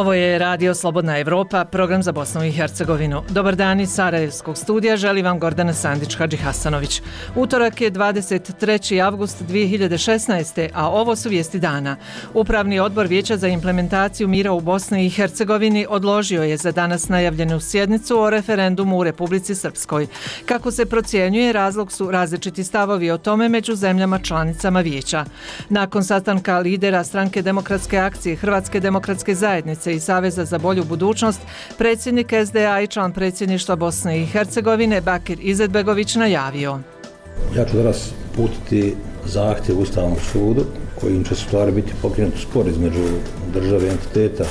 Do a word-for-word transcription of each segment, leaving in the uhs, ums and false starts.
Ovo je Radio Slobodna Evropa, program za Bosnu i Hercegovinu. Dobar dan iz Sarajevskog studija, želi vam Gordana Sandić-Hadžihasanović. Utorak je dvadeset treći avgust dvije hiljade šesnaeste. a ovo su vijesti dana. Upravni odbor Vijeća za implementaciju mira u Bosni i Hercegovini odložio je za danas najavljenu sjednicu o referendumu u Republici Srpskoj. Kako se procjenjuje, razlog su različiti stavovi o tome među zemljama članicama Vijeća. Nakon sastanka lidera Stranke demokratske akcije, Hrvatske demokratske zajednice i Saveza za bolju budućnost, predsjednik es de a i član predsjedništva Bosne i Hercegovine Bakir Izetbegović najavio. Ja ću danas uputiti zahtjev Ustavnom sudu kojim će stvari biti pokrenut spor između države i entiteta.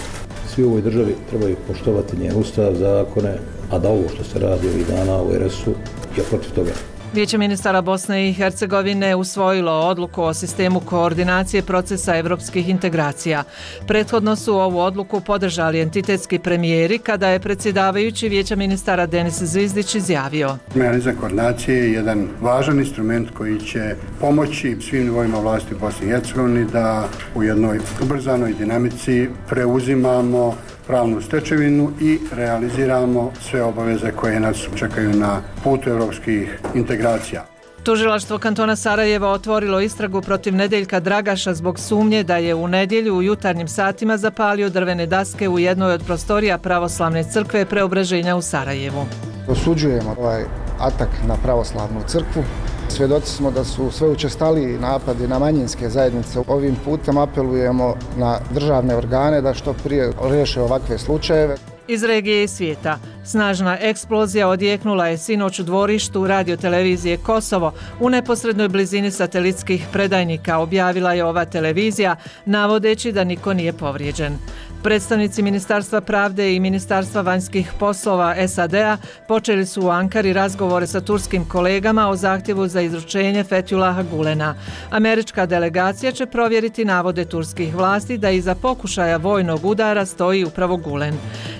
Svi u ovoj državi trebaju poštovati njen ustav, zakone, a da ovo što se radi ovih dana u er es u je protiv toga. Vijeće ministara Bosne i Hercegovine usvojilo odluku o sistemu koordinacije procesa evropskih integracija. Prethodno su ovu odluku podržali entitetski premijeri kada je predsjedavajući Vijeća ministara Denis Zvizdić izjavio. Mehanizam koordinacije je jedan važan instrument koji će pomoći svim nivoima vlasti u Bosni i Hercegovini da u jednoj ubrzanoj dinamici preuzimamo pravnu stečevinu i realiziramo sve obaveze koje nas čekaju na putu evropskih integracija. Tužilaštvo kantona Sarajeva otvorilo istragu protiv Nedeljka Dragaša zbog sumnje da je u nedjelju u jutarnjim satima zapalio drvene daske u jednoj od prostorija pravoslavne crkve Preobraženja u Sarajevu. Osuđujemo ovaj atak na pravoslavnu crkvu. Svjedoci smo da su sve učestaliji napadi na manjinske zajednice. Ovim putem apelujemo na državne organe da što prije riješe ovakve slučajeve. Iz regije i svijeta. Snažna eksplozija odjeknula je sinoć u dvorištu radiotelevizije Kosovo u neposrednoj blizini satelitskih predajnika, objavila je ova televizija, navodeći da niko nije povrijeđen. Predstavnici Ministarstva pravde i Ministarstva vanjskih poslova es a de a počeli su u Ankari razgovore sa turskim kolegama o zahtjevu za izručenje Fethulaha Gulena. Američka delegacija će provjeriti navode turskih vlasti da iza pokušaja vojnog udara stoji upravo Gulen.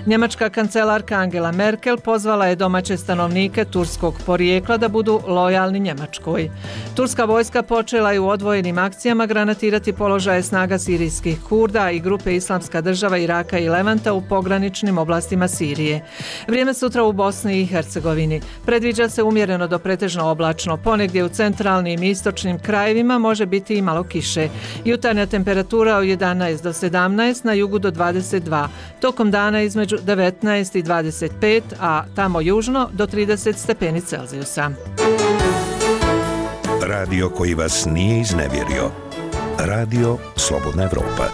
Njemačka kancelarka Angela Merkel pozvala je domaće stanovnike turskog porijekla da budu lojalni Njemačkoj. Turska vojska počela je u odvojenim akcijama granatirati položaje snaga sirijskih Kurda i grupe Islamska država Iraka i Levanta u pograničnim oblastima Sirije. Vrijeme sutra u Bosni i Hercegovini. Predviđa se umjereno do pretežno oblačno. Ponegdje u centralnim i istočnim krajevima može biti i malo kiše. Jutarnja temperatura od jedanaest do sedamnaest, na jugu do dvadeset dva. Tokom dana između devetnaest i dvadeset pet, a tamo južno do trideset stepeni Celzijusa. Radio koji vas nije iznevjerio. Radio Slobodna Evropa.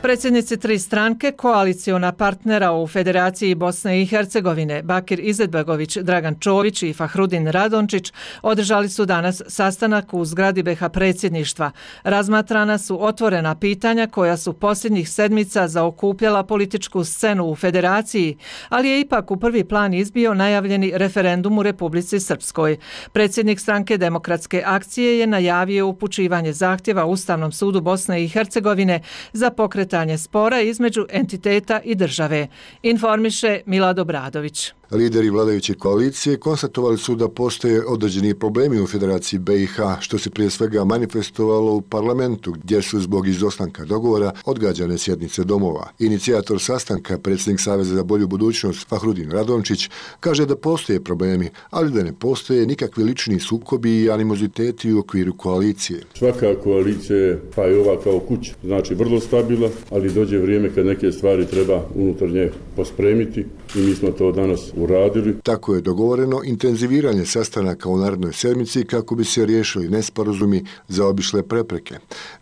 Predsjednici tri stranke, koaliciona partnera u Federaciji Bosne i Hercegovine, Bakir Izetbegović, Dragan Čović i Fahrudin Radončić, održali su danas sastanak u zgradi be ha predsjedništva. Razmatrana su otvorena pitanja koja su posljednjih sedmica zaokupljala političku scenu u Federaciji, ali je ipak u prvi plan izbio najavljeni referendum u Republici Srpskoj. Predsjednik Stranke demokratske akcije je najavio upućivanje zahtjeva Ustavnom sudu Bosne i Hercegovine za pokretanje spora između entiteta i države. Informiše Milad Obradović. Lideri vladajuće koalicije konstatovali su da postoje određeni problemi u Federaciji be i ha, što se prije svega manifestovalo u parlamentu, gdje su zbog izostanka dogovora odgađane sjednice domova. Inicijator sastanka, predsjednik Saveza za bolju budućnost Fahrudin Radončić, kaže da postoje problemi, ali da ne postoje nikakvi lični sukobi i animoziteti u okviru koalicije. Svaka koalicija je, pa i ova kao kuća, znači vrlo stabilna, ali dođe vrijeme kad neke stvari treba unutar nje pospremiti i mi smo to danas uradili. Tako je dogovoreno intenziviranje sastanaka u narednoj sedmici kako bi se riješili nesporazumi za obišle prepreke.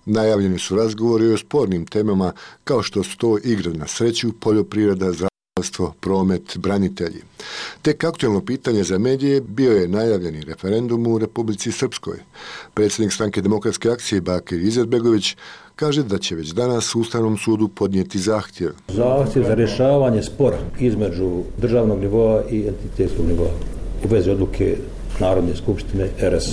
Najavljeni su razgovori o spornim temama kao što su to igre na sreću, poljoprivreda, zdravstvo, promet, branitelji. Tek aktualno pitanje za medije bio je najavljeni referendum u Republici Srpskoj. Predsjednik Stranke demokratske akcije Bakir Izetbegović kaže da će već danas Ustavnom sudu podnijeti zahtjev. Zahtjev za rješavanje spora između državnog nivoa i entitetskog nivoa u vezi odluke Narodne skupštine er es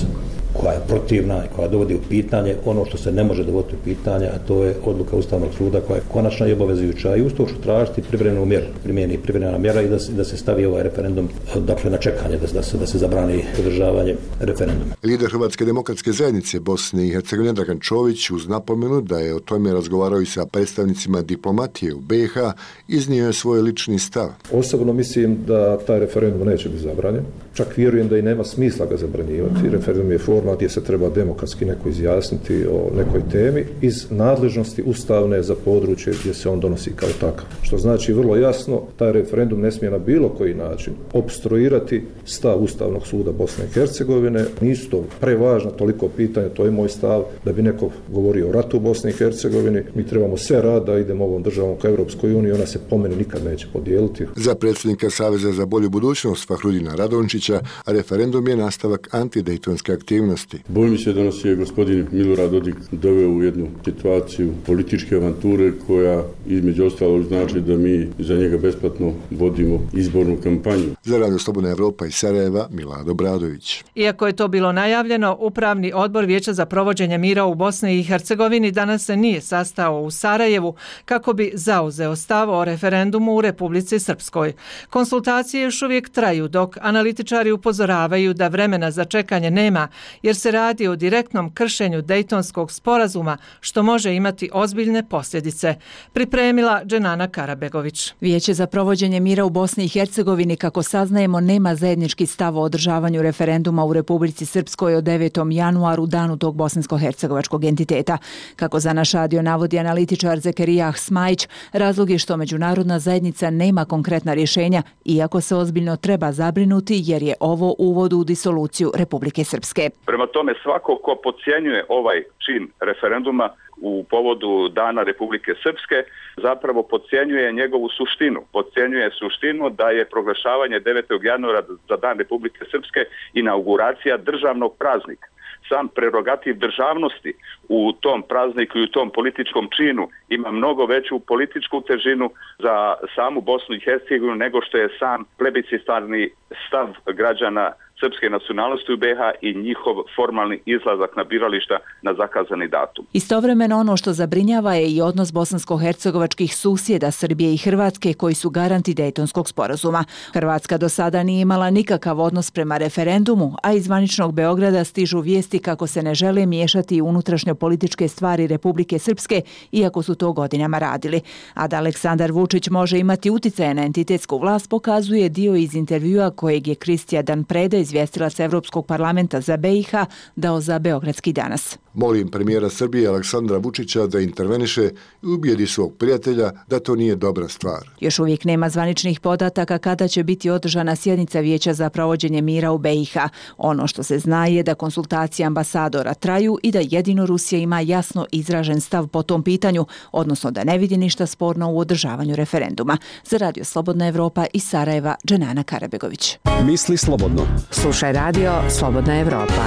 koja je protivna i koja dovodi u pitanje ono što se ne može dovoditi u pitanje, a to je odluka Ustavnog suda koja je konačna i obavezujuća i uz to ću tražiti privremenu mjeru, primjeni privremena mjera i da se, da se stavi ovaj referendum dakle na čekanje, da, da, se, da se zabrani održavanje referenduma. Lider Hrvatske demokratske zajednice Bosne i Hercegovine Dragan Čović uz napomenu da je o tome razgovarao i sa predstavnicima diplomatije u B i H iznio je svoj lični stav. Osobno mislim da taj referendum neće biti zabranjen. Čak vjerujem da i nema smisla ga zabranjivati. Referendum je forma gdje se treba demokratski neko izjasniti o nekoj temi iz nadležnosti ustavne za područje gdje se on donosi kao takav. Što znači vrlo jasno, taj referendum ne smije na bilo koji način opstruirati stav Ustavnog suda Bosne i Hercegovine. Nisu to prevažna toliko pitanja, to je moj stav, da bi neko govorio o ratu u Bosni i Hercegovini. Mi trebamo sve rad da idemo ovom državom ka Europskoj uniji, ona se po meni nikad neće podijeliti. Za predsjednika Saveza za bolju budućnost Fahrudina Radončića referendum je nastavak antidejtonske aktivnosti. Bojim se da nas je gospodin Milorad Dodik doveo u jednu situaciju političke avanture koja između ostalog znači da mi za njega besplatno vodimo izbornu kampanju. Za Radio Slobodna Evropa iz Sarajeva, Milado Bradović. Iako je to bilo najavljeno, Upravni odbor Vijeća za provođenje mira u Bosni i Hercegovini danas se nije sastao u Sarajevu kako bi zauzeo stav o referendumu u Republici Srpskoj. Konsultacije još uvijek traju dok analitičari upozoravaju da vremena za čekanje nema jer se radi o direktnom kršenju Dejtonskog sporazuma što može imati ozbiljne posljedice. Pripremila Dženana Karabegović. Vijeće za provođenje mira u Bosni i Hercegovini, kako saznajemo, nema zajednički stav o održavanju referenduma u Republici Srpskoj od devetom januaru, danu tog bosansko-hercegovačkog entiteta. Kako za naš radio navodi analitičar Zekerijah Smajić, razlog je što međunarodna zajednica nema konkretna rješenja, iako se ozbiljno treba zabrinuti jer je ovo uvod u disoluciju Republike Srpske. Prema tome, svako ko podcjenjuje ovaj čin referenduma u povodu Dana Republike Srpske zapravo podcjenjuje njegovu suštinu. Podcjenjuje suštinu da je proglašavanje devetog januara za Dan Republike Srpske inauguracija državnog praznika. Sam prerogativ državnosti u tom prazniku i u tom političkom činu ima mnogo veću političku težinu za samu Bosnu i Hercegovinu nego što je sam plebiscitarni stav građana srpske nacionalnosti u B i H i njihov formalni izlazak na birališta na zakazani datum. Istovremeno ono što zabrinjava je i odnos bosansko-hercegovačkih susjeda Srbije i Hrvatske koji su garanti Dejtonskog sporazuma. Hrvatska do sada nije imala nikakav odnos prema referendumu, a iz zvaničnog Beograda stižu vijesti kako se ne žele miješati u unutrašnjo političke stvari Republike Srpske, iako su to godinama radili. A da Aleksandar Vučić može imati uticaje na entitetsku vlast pokazuje dio iz intervjua kojeg je Kristija Dan Preda, izvjestilac Evropskog parlamenta za B i H, dao za Beogradski danas. Molim premijera Srbije Aleksandra Vučića da interveniše i ubijedi svog prijatelja da to nije dobra stvar. Još uvijek nema zvaničnih podataka kada će biti održana sjednica Vijeća za provođenje mira u B i H. Ono što se zna je da konsultacije ambasadora traju i da jedino Rusija ima jasno izražen stav po tom pitanju, odnosno da ne vidi ništa sporno u održavanju referenduma. Za Radio Slobodna Evropa iz Sarajeva, Dženana Karabegović. Misli slobodno. Slušaj Radio Slobodna Evropa.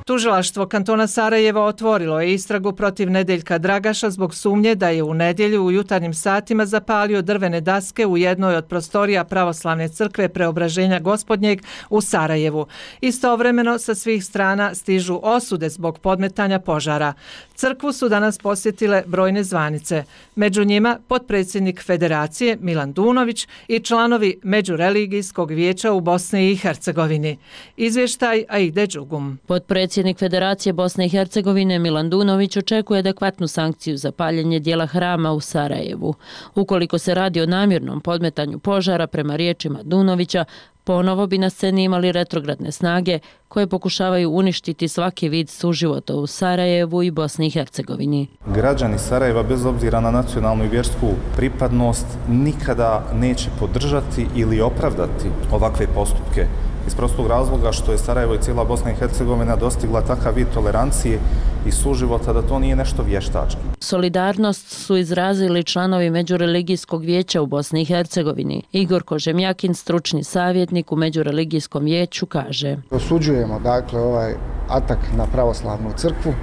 Tužilaštvo kantona Sarajevo otvorilo je istragu protiv Nedeljka Dragaša zbog sumnje da je u nedjelju u jutarnjim satima zapalio drvene daske u jednoj od prostorija Pravoslavne crkve Preobraženja Gospodnjeg u Sarajevu. Istovremeno sa svih strana stižu osude zbog podmetanja požara. Crkvu su danas posjetile brojne zvanice. Među njima potpredsjednik Federacije Milan Dunović i članovi Međureligijskog vijeća u Bosni i Hercegovini. Izvještaj Aide Đugum. Potpredsjednik Federacije Bosne i Hercegovine Milan Dunović očekuje adekvatnu sankciju za paljenje dijela hrama u Sarajevu. Ukoliko se radi o namjernom podmetanju požara, prema riječima Dunovića, ponovo bi na sceni imali retrogradne snage koje pokušavaju uništiti svaki vid suživota u Sarajevu i Bosni i Hercegovini. Građani Sarajeva, bez obzira na nacionalnu i vjersku pripadnost, nikada neće podržati ili opravdati ovakve postupke. Iz prostog razloga što je Sarajevo i cijela Bosna i Hercegovina dostigla takav vid tolerancije i suživota da to nije nešto vještački. Solidarnost su izrazili članovi Međureligijskog vijeća u Bosni i Hercegovini. Igor Kožemjakin, stručni savjetnik u Međureligijskom vijeću, kaže: Osuđujemo dakle ovaj atak na pravoslavnu crkvu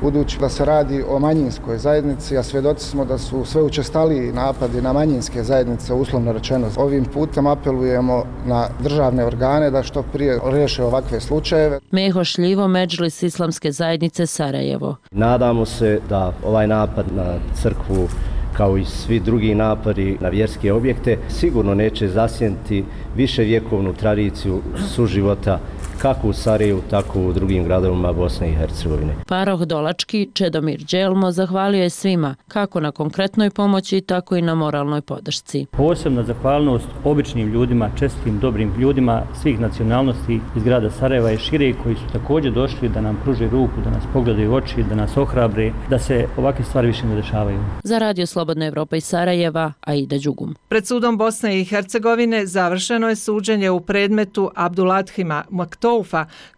budući da se radi o manjinskoj zajednici, a svjedoci smo da su sve učestaliji napadi na manjinske zajednice, uslovno rečeno. Ovim putem apelujemo na državne organe da što prije riješe ovakve slučajeve. Meho Šljivo, Medžlis Islamske zajednice Sarajevo. Nadamo se da ovaj napad na crkvu, kao i svi drugi napadi na vjerske objekte, sigurno neće zasjeniti viševjekovnu tradiciju suživota kako u Sarajevu, tako u drugim gradovima Bosne i Hercegovine. Paroh Dolački Čedomir Đelmo zahvalio je svima, kako na konkretnoj pomoći, tako i na moralnoj podršci. Posebna zahvalnost običnim ljudima, čestitim, dobrim ljudima svih nacionalnosti iz grada Sarajeva i šire, koji su također došli da nam pruže ruku, da nas pogledaju u oči, da nas ohrabre, da se ovakve stvari više ne dešavaju. Za Radio Slobodna Evropa iz Sarajeva, Aida Đugum. Pred sudom Bosne i Hercegovine završeno je suđenje u predmetu Abdulathima Maktoufa,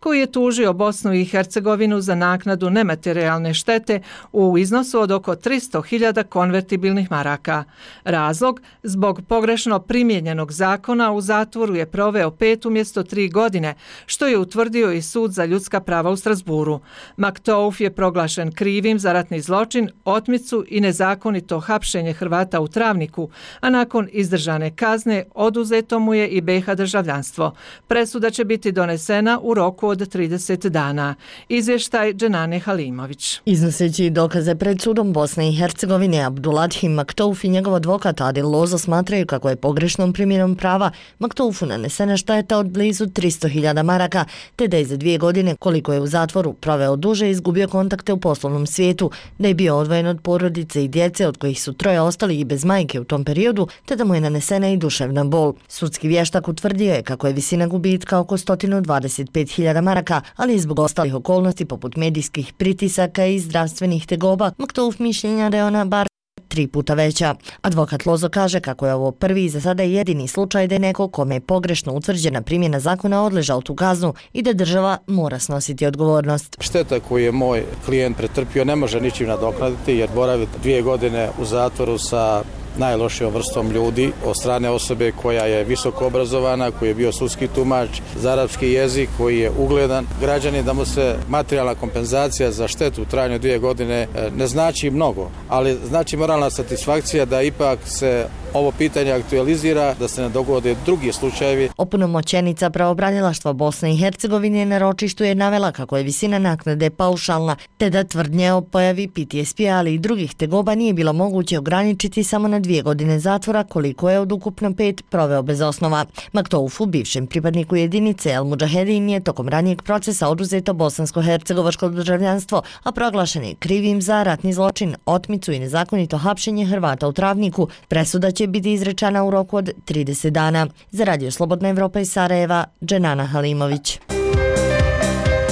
koji je tužio Bosnu i Hercegovinu za naknadu nematerijalne štete u iznosu od oko tristo hiljada konvertibilnih maraka. Razlog, zbog pogrešno primijenjenog zakona u zatvoru je proveo pet umjesto tri godine, što je utvrdio i Sud za ljudska prava u Strasburu. Maktouf je proglašen krivim za ratni zločin, otmicu i nezakonito hapšenje Hrvata u Travniku, a nakon izdržane kazne oduzeto mu je i be ha državljanstvo. Presuda će biti donesena u roku od trideset dana. Izvještaj Dženane Halimović. Iznoseći dokaze pred sudom Bosne i Hercegovine, Abdulathim Maktouf i njegov advokat Adil Lozo smatraju kako je pogrešnom primjenom prava Maktoufu nanesena šteta od blizu tristo hiljada maraka, te da je za dvije godine, koliko je u zatvoru proveo duže, izgubio kontakte u poslovnom svijetu, da je bio odvojen od porodice i djece, od kojih su troje ostali i bez majke u tom periodu, te da mu je nanesena i duševna bol. Sudski vještak utvrdio je kako je visina gubitka oko sto dvadeset pet hiljada maraka, ali i zbog ostalih okolnosti poput medijskih pritisaka i zdravstvenih tegoba, Maktouf mišljenja da je ona bar tri puta veća. Advokat Lozo kaže kako je ovo prvi i za sada jedini slučaj da je neko kome je pogrešno utvrđena primjena zakona odležao tu kaznu i da država mora snositi odgovornost. Šteta koju je moj klijent pretrpio ne može ničim nadoknaditi jer boravi dvije godine u zatvoru sa najlošijom vrstom ljudi od strane osobe koja je visoko obrazovana, koji je bio sudski tumač za arapski jezik, koji je ugledan građanin, da mu se materijalna kompenzacija za štetu u trajanju dvije godine ne znači mnogo, ali znači moralna satisfakcija da ipak se ovo pitanje aktualizira, da se ne dogode drugi slučajevi. Opunomoćenica pravobranilaštva Bosne i Hercegovine na ročištu je navela kako je visina naknade paušalna, te da tvrdnje o pojavi P T S P, ali i drugih tegoba nije bilo moguće ograničiti samo na dvije godine zatvora, koliko je od ukupno pet proveo bez osnova. Maktoufu, bivšem pripadniku jedinice El Mudžahedin, je tokom ranijeg procesa oduzeto bosansko-hercegovačko državljanstvo, a proglašen je krivim za ratni zločin, otmicu i nezakonito hapšenje Hrvata u Travniku. Presuda će biti izrečena u roku od trideset dana. Za Radio Slobodna Evropa iz Sarajeva, Dženana Halimović.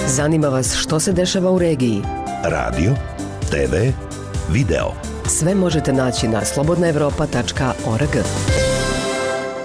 Zanima vas što se dešava u regiji? Radio, te ve, video. Sve možete naći na slobodna evropa tačka org.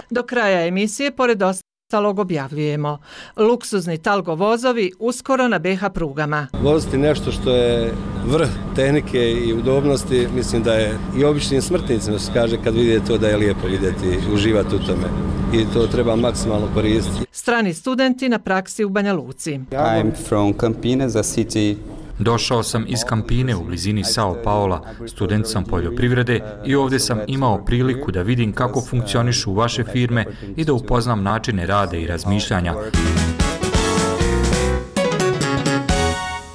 Do kraja emisije, pored ostalog, objavljujemo luksuzni Talgo vozovi uskoro na be ha prugama. Voziti nešto što je vrh tehnike i udobnosti, mislim da je i običnim smrtnicima se kaže kad vidite to da je lijepo vidjeti, uživati u tome. I to treba maksimalno koristiti. Strani studenti na praksi u Banja Luci. I'm from Campinas, a city. Došao sam iz Campine u blizini Sao Paula, student sam poljoprivrede i ovdje sam imao priliku da vidim kako funkcionišu vaše firme i da upoznam načine rada i razmišljanja.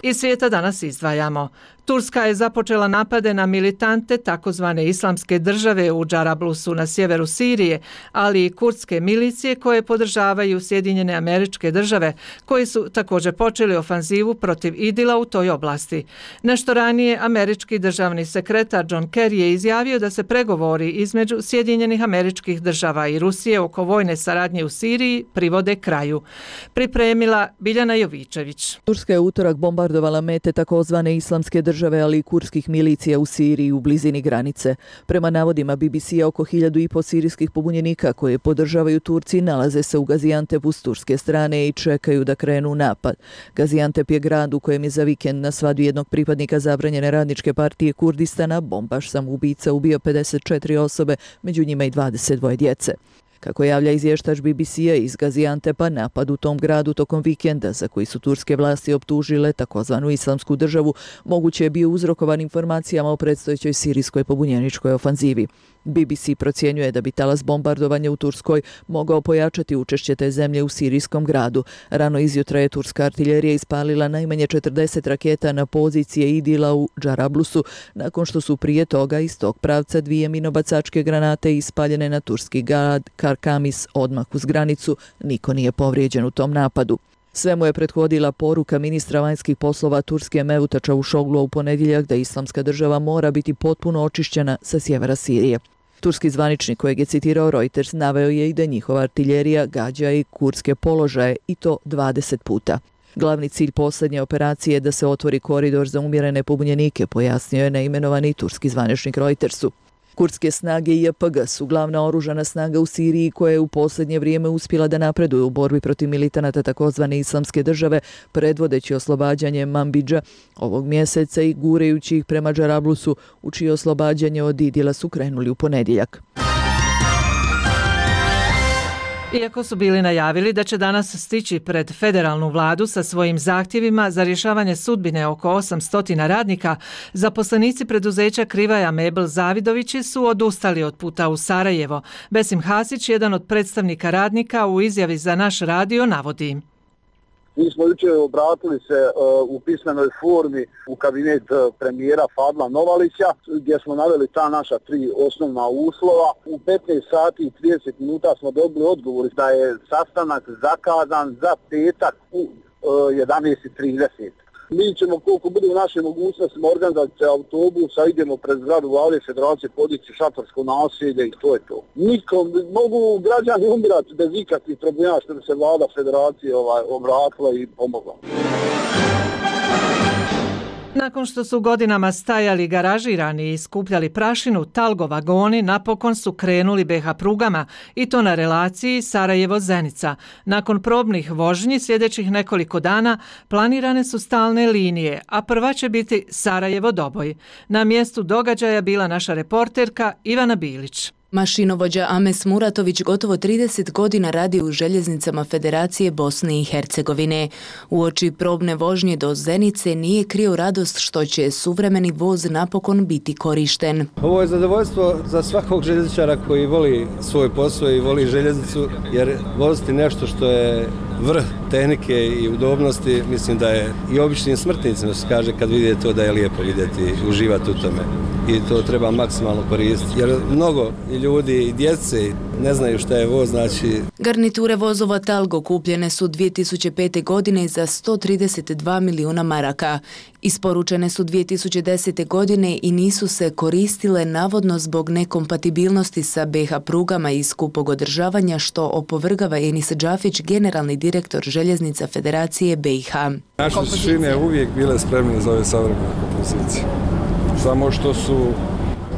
Iz svijeta danas izdvajamo. Turska je započela napade na militante takozvane islamske države u Džarablusu na sjeveru Sirije, ali i kurdske milicije koje podržavaju Sjedinjene Američke Države, koji su također počeli ofanzivu protiv Idila u toj oblasti. Nešto ranije američki državni sekretar John Kerry je izjavio da se pregovori između Sjedinjenih Američkih Država i Rusije oko vojne saradnje u Siriji privode kraju. Pripremila Biljana Jovičević. Turska je utorak bombardovala mete takozvane islamske države, ali i kurdskih milicija u Siriji u blizini granice. Prema navodima be be ce-a, oko hiljadu i po sirijskih pobunjenika koje podržavaju Turci nalaze se u Gaziantepu s turske strane i čekaju da krenu napad. Gaziantep je grad u kojem je za vikend na svadbi jednog pripadnika zabranjene radničke partije Kurdistana bombaš samoubica ubio pedeset četiri osobe, među njima i dvadeset dvoje djece. Kako javlja izvještač B B C-a iz Gaziantepa, napad u tom gradu tokom vikenda, za koji su turske vlasti optužile takozvanu islamsku državu, moguće je bio uzrokovan informacijama o predstojećoj sirijskoj pobunjeničkoj ofanzivi. B B C procjenjuje da bi talas bombardovanja u Turskoj mogao pojačati učešće te zemlje u sirijskom gradu. Rano izjutra je turska artiljerija ispalila najmanje četrdeset raketa na pozicije Idila u Džarablusu, nakon što su prije toga iz tog pravca dvije minobacačke granate ispaljene na turski grad Karkamis odmah uz granicu. Niko nije povrijeđen u tom napadu. Sve mu je prethodila poruka ministra vanjskih poslova Turske Mevluta Čavuşoglu u ponedjeljak da islamska država mora biti potpuno očišćena sa sjevera Sirije. Turski zvaničnik kojeg je citirao Reuters naveo je i da njihova artiljerija gađa i kurdske položaje i to dvadeset puta. Glavni cilj posljednje operacije je da se otvori koridor za umjerene pobunjenike, pojasnio je neimenovani turski zvaničnik Reutersu. Kurdske snage I P G su glavna oružana snaga u Siriji koja je u posljednje vrijeme uspjela da napreduje u borbi protiv militanata takozvane islamske države, predvodeći oslobađanje Manbidža ovog mjeseca i gurejući ih prema Džarablusu, u čije oslobađanje od Idila su krenuli u ponedjeljak. Iako su bili najavili da će danas stići pred federalnu vladu sa svojim zahtjevima za rješavanje sudbine oko osamsto radnika, zaposlenici preduzeća Krivaja Mebel Zavidovići su odustali od puta u Sarajevo. Besim Hasić, jedan od predstavnika radnika, u izjavi za naš radio navodi: Mi smo jučer obratili se uh, u pismenoj formi u kabinet uh, premijera Fadla Novalića, gdje smo naveli ta naša tri osnovna uslova. U petnaest sati i trideset minuta smo dobili odgovor da je sastanak zakazan za petak u uh, jedanaest i trideset. Mi ćemo koliko bude u našoj mogućnosti organizati autobusa, idemo pred zgradu Vlade Federacije, podići šatorsko naselje i to je to. Nikom, mogu građani umirati bez ikakvih problema što bi se Vlada Federacije ovaj, obratila i pomogla. Nakon što su godinama stajali garažirani i skupljali prašinu, Talgo vagoni napokon su krenuli B H prugama i to na relaciji Sarajevo-Zenica. Nakon probnih vožnji sljedećih nekoliko dana planirane su stalne linije, a prva će biti Sarajevo-Doboj. Na mjestu događaja bila naša reporterka Ivana Bilić. Mašinovođa Ames Muratović gotovo trideset godina radi u željeznicama Federacije Bosne i Hercegovine. Uoči probne vožnje do Zenice nije krio radost što će suvremeni voz napokon biti korišten. Ovo je zadovoljstvo za svakog željezničara koji voli svoj posao i voli željeznicu, jer voziti nešto što je vrh tehnike i udobnosti, mislim da je i običnim smrtnicima se kaže kad vidite to da je lijepo vidjeti, uživati u tome. I to treba maksimalno koristiti, jer mnogo i ljudi i djece ne znaju šta je voz, znači... Garniture vozova Talgo kupljene su dvije tisuće pete. godine za sto trideset dva milijuna maraka. Isporučene su dvije tisuće desete. godine i nisu se koristile navodno zbog nekompatibilnosti sa B H prugama i skupog održavanja, što opovrgava Enis Džafić, generalni direktor željeznica Federacije B i H. Naše su šine uvijek bile spremne za ove savremene kompozicije. Samo što su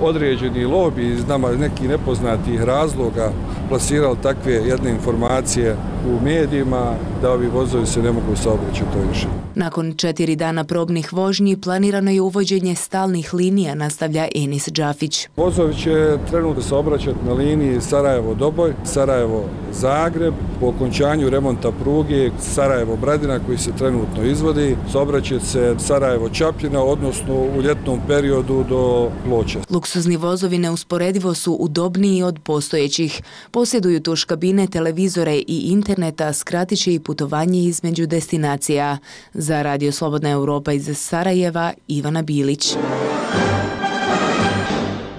određeni lobi iz nama nekih nepoznatih razloga plasirali takve jedne informacije u medijima da ovi vozovi se ne mogu saobraćati to više. Nakon četiri dana probnih vožnji planirano je uvođenje stalnih linija, nastavlja Enis Džafić. Vozovi će trenutno saobraćati na liniji Sarajevo-Doboj, Sarajevo-Zagreb, po okončanju remonta pruge Sarajevo-Bradina koji se trenutno izvodi, saobraćati se Sarajevo-Čapljina, odnosno u ljetnom periodu do Ploča. Luksuzni vozovi neusporedivo su udobniji od postojećih. Posjeduju tuš kabine, televizore i interneta, skratit će i putovanje između destinacija. Za Radio Slobodna Europa iz Sarajeva, Ivana Bilić.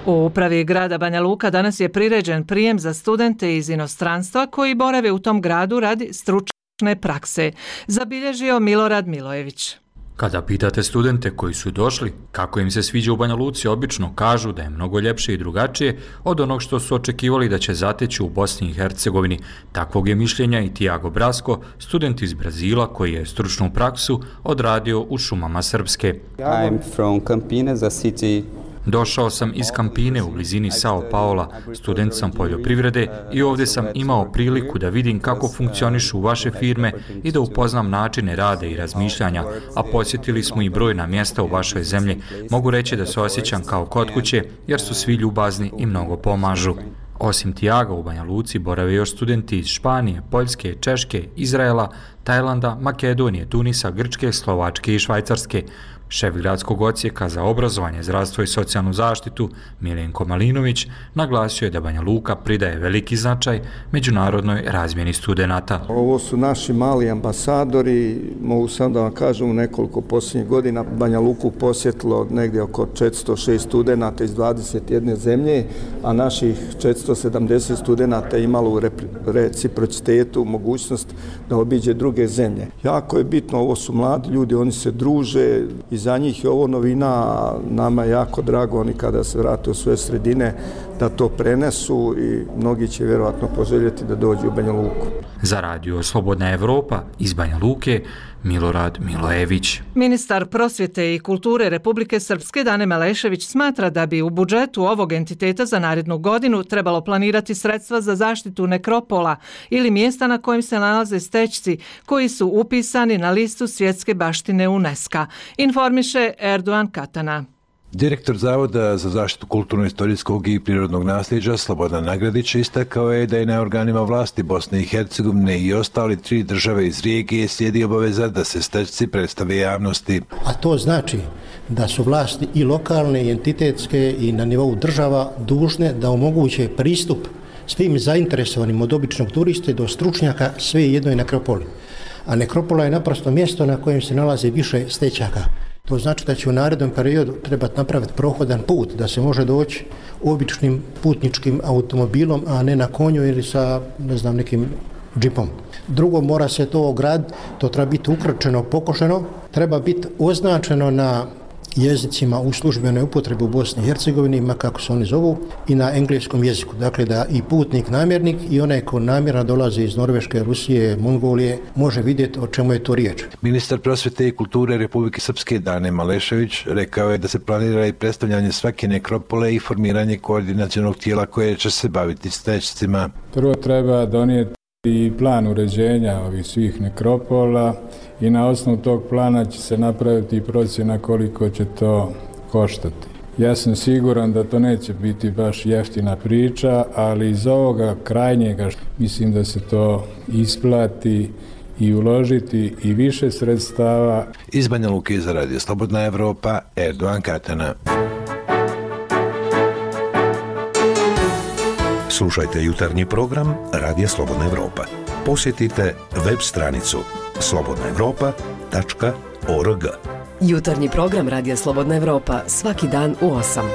U upravi grada Banja Luka danas je priređen prijem za studente iz inostranstva koji borave u tom gradu radi stručne prakse, zabilježio Milorad Milojević. Kada pitate studente koji su došli kako im se sviđa u Banja Luci, obično kažu da je mnogo ljepše i drugačije od onog što su očekivali da će zateći u Bosni i Hercegovini. Takvog je mišljenja i Tiago Brasco, student iz Brazila koji je stručnu praksu odradio u šumama Srpske. I'm from Campinas, a city. Došao sam iz Campine u blizini Sao Paula, student sam poljoprivrede i ovdje sam imao priliku da vidim kako funkcionišu vaše firme i da upoznam načine rada i razmišljanja, a posjetili smo i brojna mjesta u vašoj zemlji. Mogu reći da se osjećam kao kod kuće jer su svi ljubazni i mnogo pomažu. Osim Tijaga u Banja Luci borave još studenti iz Španije, Poljske, Češke, Izraela, Tajlanda, Makedonije, Tunisa, Grčke, Slovačke i Švajcarske. Šef gradskog odsjeka za obrazovanje, zdravstvo i socijalnu zaštitu Miljenko Malinović naglasio je da Banja Luka pridaje veliki značaj međunarodnoj razmjeni studenata. Ovo su naši mali ambasadori, mogu sam da vam kažem, u nekoliko posljednjih godina Banja Luku posjetilo negdje oko četiristo šest studenata iz dvadeset jedne zemlje, a naših četiristo sedamdeset studenata je imalo u reciprocitetu mogućnost da obiđe druge zemlje. Jako je bitno, ovo su mladi ljudi, oni se druže i za njih je ovo novina, nama je jako drago, oni kada se vrate u svoje sredine da to prenesu i mnogi će vjerovatno poželjeti da dođu u Banja Luku. Za radio Slobodna Evropa iz Banja Luke, Milorad Milojević. Ministar prosvjete i kulture Republike Srpske Dane Melešević smatra da bi u budžetu ovog entiteta za narednu godinu trebalo planirati sredstva za zaštitu nekropola ili mjesta na kojem se nalaze stećci koji su upisani na listu svjetske baštine UNESCO. Informiše Erdogan Katana. Direktor Zavoda za zaštitu kulturno-istorijskog i prirodnog nasljeđa Slobodan Nagradić istakao je da je na organima vlasti Bosne i Hercegovine i ostali tri države iz regije slijedi obaveza da se stećci predstave javnosti. A to znači da su vlasti i lokalne i entitetske i na nivou država dužne da omoguće pristup svim zainteresovanim od običnog turiste do stručnjaka sve jednoj nekropoli. A nekropola je naprosto mjesto na kojem se nalazi više stećaka. To znači da će u narednom periodu trebati napraviti prohodan put, da se može doći običnim putničkim automobilom, a ne na konju ili sa, ne znam, nekim džipom. Drugo, mora se to ograditi, to treba biti ukrčeno, pokošeno, treba biti označeno na jezicima u službenoj upotrebi u Bosni i Hercegovini, ma kako se oni zovu, i na engleskom jeziku. Dakle, da i putnik, namjernik i onaj ko namjerno dolazi iz Norveške, Rusije, Mongolije, može vidjeti o čemu je to riječ. Ministar prosvjete i kulture Republike Srpske Dane Malešević rekao je da se planira i predstavljanje svake nekropole i formiranje koordinacionog tijela koje će se baviti stećcima. Prvo treba donijeti i plan uređenja ovih svih nekropola i na osnovu tog plana će se napraviti procjena koliko će to koštati. Ja sam siguran da to neće biti baš jeftina priča, ali iz ovoga krajnjega mislim da se to isplati i uložiti i više sredstava. Iz Banja Luke za radio Slobodna Evropa, Erdogan Katana. Slušajte jutarnji program Radija Slobodna Evropa. Posjetite web stranicu slobodna evropa tačka org. Jutarnji program Radija Slobodna Evropa svaki dan u osam.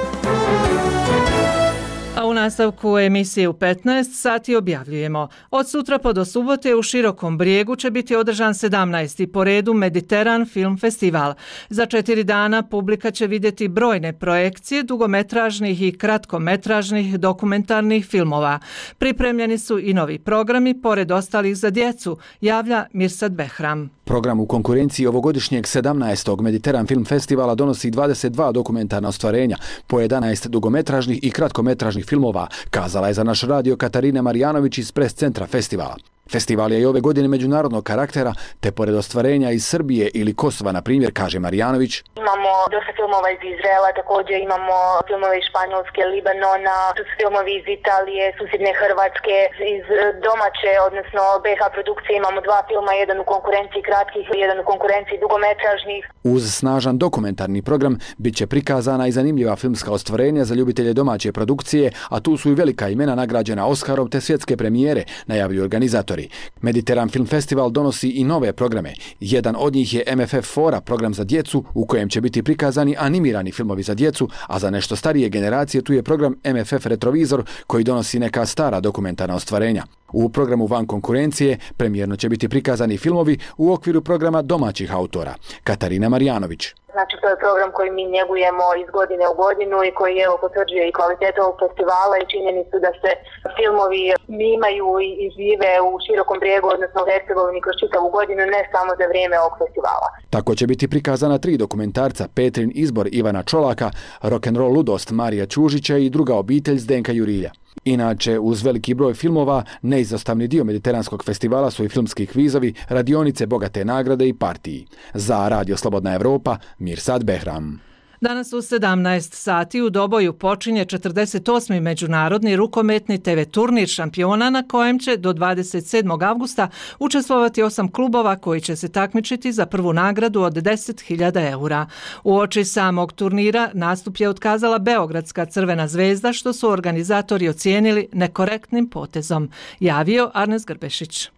A u nastavku emisije u petnaest sati objavljujemo. Od sutra pa do subote u Širokom Brijegu će biti održan sedamnaesti po redu Mediteran Film Festival. Za četiri dana publika će vidjeti brojne projekcije dugometražnih i kratkometražnih dokumentarnih filmova. Pripremljeni su i novi programi, pored ostalih za djecu, javlja Mirsad Behram. Program u konkurenciji ovogodišnjeg sedamnaestog Mediteran Film Festivala donosi dvadeset dva dokumentarna ostvarenja, po jedanaest dugometražnih i kratkometražnih filmova, kazala je za naš radio Katarina Marjanović iz pres centra festivala. Festival je i ove godine međunarodnog karaktera, te pored ostvarenja iz Srbije ili Kosova, na primjer, kaže Marjanović. Imamo dosta filmova iz Izraela, također imamo filmove iz Španjolske, Libanona, tu su filmovi iz Italije, susjedne Hrvatske, iz domaće, odnosno B H produkcije imamo dva filma, jedan u konkurenciji kratkih, jedan u konkurenciji dugometražnih. Uz snažan dokumentarni program bit će prikazana i zanimljiva filmska ostvarenja za ljubitelje domaće produkcije, a tu su i velika imena nagrađena Oskarom te svjetske premijere, najavljuju organizatori. Mediteran Film Festival donosi i nove programe. Jedan od njih je M F F Fora, program za djecu u kojem će biti prikazani animirani filmovi za djecu, a za nešto starije generacije tu je program M F F Retrovizor koji donosi neka stara dokumentarna ostvarenja. U programu van konkurencije premijerno će biti prikazani filmovi u okviru programa domaćih autora. Katarina Marjanović. Znači, to je program koji mi njegujemo iz godine u godinu i koji evo potvrđuje i kvalitetu ovog festivala i činjenicu da se filmovi snimaju i žive u Širokom Brijegu, odnosno u Hercegovini kroz čitavu godinu, ne samo za vrijeme ovog festivala. Tako će biti prikazana tri dokumentarca: Petrin izbor Ivana Čolaka, Rock'n'roll ludost Marija Čužića i Druga obitelj Zdenka Jurilja. Inače, uz veliki broj filmova, neizostavni dio Mediteranskog festivala su i filmski kvizovi, radionice, bogate nagrade i partiji. Za Radio Slobodna Evropa, Mirsad Behram. Danas u sedamnaest sati u Doboju počinje četrdeset osmi međunarodni rukometni te ve turnir šampiona na kojem će do dvadeset sedmog avgusta učestvovati osam klubova koji će se takmičiti za prvu nagradu od deset hiljada eura. Uoči samog turnira nastup je otkazala Beogradska Crvena zvezda što su organizatori ocijenili nekorektnim potezom, javio Arnes Grbešić.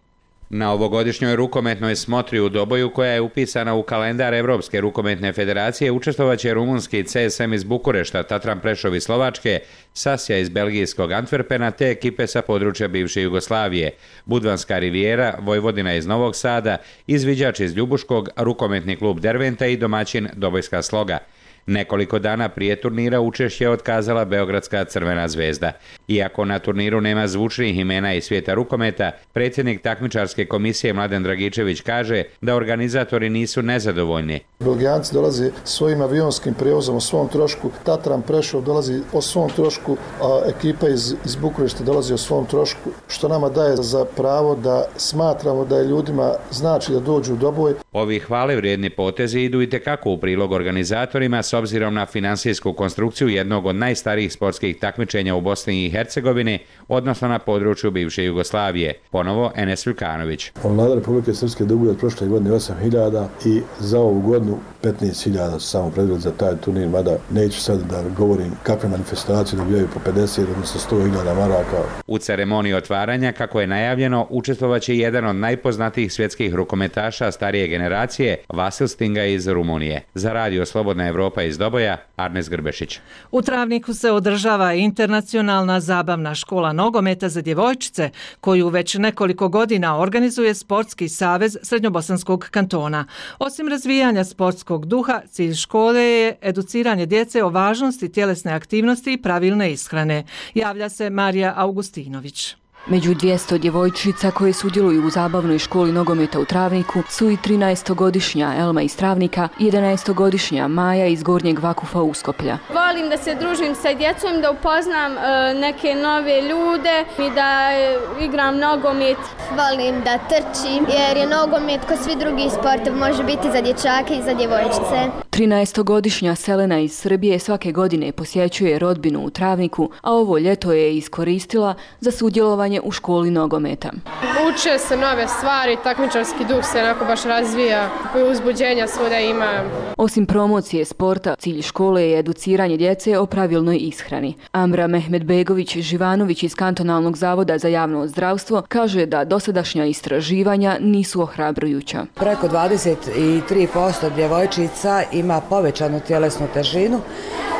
Na ovogodišnjoj rukometnoj smotri u Doboju, koja je upisana u kalendar Evropske rukometne federacije, učestvovaće rumunski C S M iz Bukurešta, Tatran Prešov iz Slovačke, Sasja iz belgijskog Antwerpena te ekipe sa područja bivše Jugoslavije, Budvanska Rivijera, Vojvodina iz Novog Sada, Izviđač iz Ljubuškog, rukometni klub Derventa i domaćin Dobojska Sloga. Nekoliko dana prije turnira učešće je otkazala Beogradska Crvena zvezda. Iako na turniru nema zvučnih imena iz svijeta rukometa, predsjednik takmičarske komisije Mladen Dragičević kaže da organizatori nisu nezadovoljni. Belgijanci dolaze svojim avionskim prijevozom o svom trošku, Tatran Prešov dolazi o svom trošku, a ekipa iz, iz Bukurešta dolazi o svom trošku, što nama daje za pravo da smatramo da je ljudima znači da dođu u Doboj. Ovi hvale vrijedni potezi idu i tekako u prilog organizatorima s obzirom na finansijsku konstrukciju jednog od najstarijih sportskih takmičenja u Bosni i Hercegovini, odnosno na području bivše Jugoslavije. Ponovo Enes Ljukanović. Vlada Republike Srpske duguje od prošle godine osam hiljada i za ovu godinu petnaest hiljada su samo predvod za taj turnir, mada neću sad da govorim kakve manifestacije dobijaju po pedeset, odnosno sto hiljada maraka. U ceremoniji otvaranja, kako je najavljeno, učestvovaće jedan od najpoznatijih svjetskih rukometaša starije generacije, Vasil Stinga iz Rumunije. Za Radio Slobodna Evropa iz Doboja, Arnes Grbešić. U Travniku se održava internacionalna zabavna škola nogometa za djevojčice, koju već nekoliko godina organizuje Sportski savez Srednjobosanskog kantona. Osim razvijanja sportskog duha, cilj škole je educiranje djece o važnosti tjelesne aktivnosti i pravilne ishrane, javlja se Marija Augustinović. Među dvjesto djevojčica koje sudjeluju u zabavnoj školi nogometa u Travniku su i trinaestogodišnja Elma iz Travnika i jedanaestogodišnja Maja iz Gornjeg Vakufa Uskoplja. Volim da se družim sa djecom, da upoznam e, neke nove ljude i da e, igram nogomet. Volim da trčim jer je nogomet kao svi drugi sportovi, može biti za dječake i za djevojčice. trinaestogodišnja Selena iz Srbije svake godine posjećuje rodbinu u Travniku, a ovo ljeto je iskoristila za sudjelovanje u školi nogometa. Uče se nove stvari, takmičarski duh se onako baš razvija, uzbuđenja svuda ima. Osim promocije sporta, cilj škole je educiranje djece o pravilnoj ishrani. Amra Mehmedbegović-Živanović iz Kantonalnog zavoda za javno zdravstvo kaže da dosadašnja istraživanja nisu ohrabrujuća. Preko dvadeset tri posto djevojčica ima povećanu tjelesnu težinu,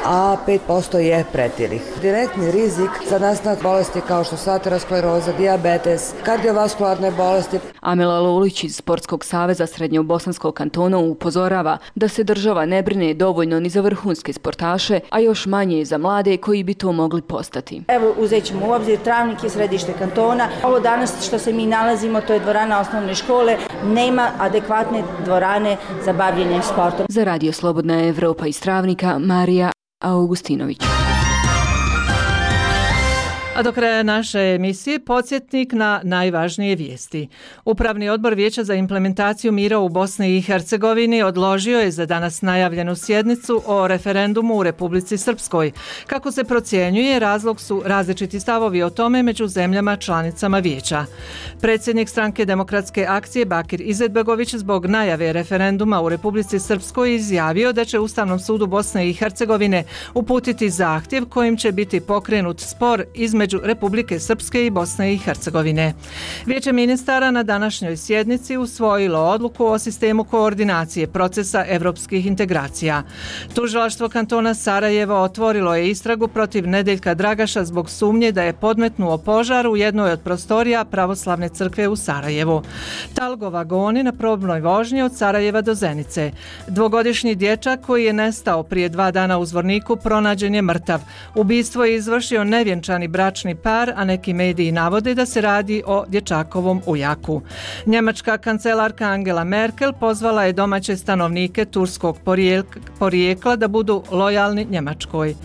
a pet posto je pretilih. Direktni rizik za nastanak bolesti kao što su ateroskleroza, dijabetes, kardiovaskularne bolesti. Amela Lolić iz Sportskog saveza Srednjobosanskog kantona upozorava da se država ne brine dovoljno ni za vrhunske sportaše, a još manje za mlade koji bi to mogli postati. Evo, uzet ćemo u obzir, Travnik je središte kantona. Ovo danas što se mi nalazimo, to je dvorana osnovne škole, nema adekvatne dvorane za bavljenje sportom. Za Radio Slobodna Evropa iz Travnika, Marija Augustinović. A do kraja naše emisije podsjetnik na najvažnije vijesti. Upravni odbor Vijeća za implementaciju mira u Bosni i Hercegovini odložio je za danas najavljenu sjednicu o referendumu u Republici Srpskoj. Kako se procjenjuje, razlog su različiti stavovi o tome među zemljama članicama Vijeća. Predsjednik stranke Demokratske akcije Bakir Izetbegović zbog najave referenduma u Republici Srpskoj izjavio da će Ustavnom sudu Bosne i Hercegovine uputiti zahtjev kojim će biti pokrenut spor između Republike Srpske i Bosne i Hercegovine. Vijeće ministara na današnjoj sjednici usvojilo odluku o sistemu koordinacije procesa evropskih integracija. Tužilaštvo kantona Sarajevo otvorilo je istragu protiv Nedeljka Dragaša zbog sumnje da je podmetnuo požar u jednoj od prostorija Pravoslavne crkve u Sarajevu. Talgo vagoni na probnoj vožnji od Sarajeva do Zenice. Dvogodišnji dječak koji je nestao prije dva dana u Zvorniku pronađen je mrtav. Ubistvo je izvršio nevjenčani bračni par, a neki mediji navode da se radi o dječakovom ujaku. Njemačka kancelarka Angela Merkel pozvala je domaće stanovnike turskog porijekla da budu lojalni Njemačkoj.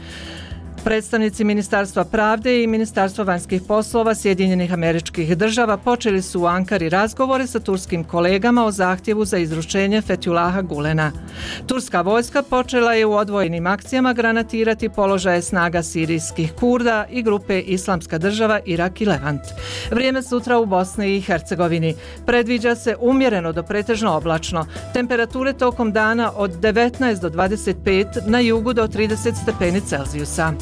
Predstavnici Ministarstva pravde i Ministarstva vanjskih poslova Sjedinjenih Američkih Država počeli su u Ankari razgovore sa turskim kolegama o zahtjevu za izručenje Fethulaha Gulena. Turska vojska počela je u odvojenim akcijama granatirati položaje snaga sirijskih Kurda i grupe Islamska država Irak i Levant. Vrijeme sutra u Bosni i Hercegovini. Predviđa se umjereno do pretežno oblačno. Temperature tokom dana od devetnaest do dvadeset pet, na jugu do trideset stepeni Celzijusa.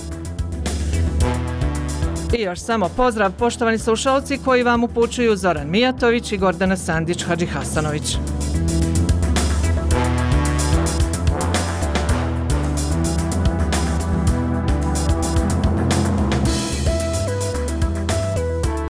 I još samo pozdrav, poštovani slušalci, koji vam upućuju Zoran Mijatović i Gordana Sandić-Hadžihasanović.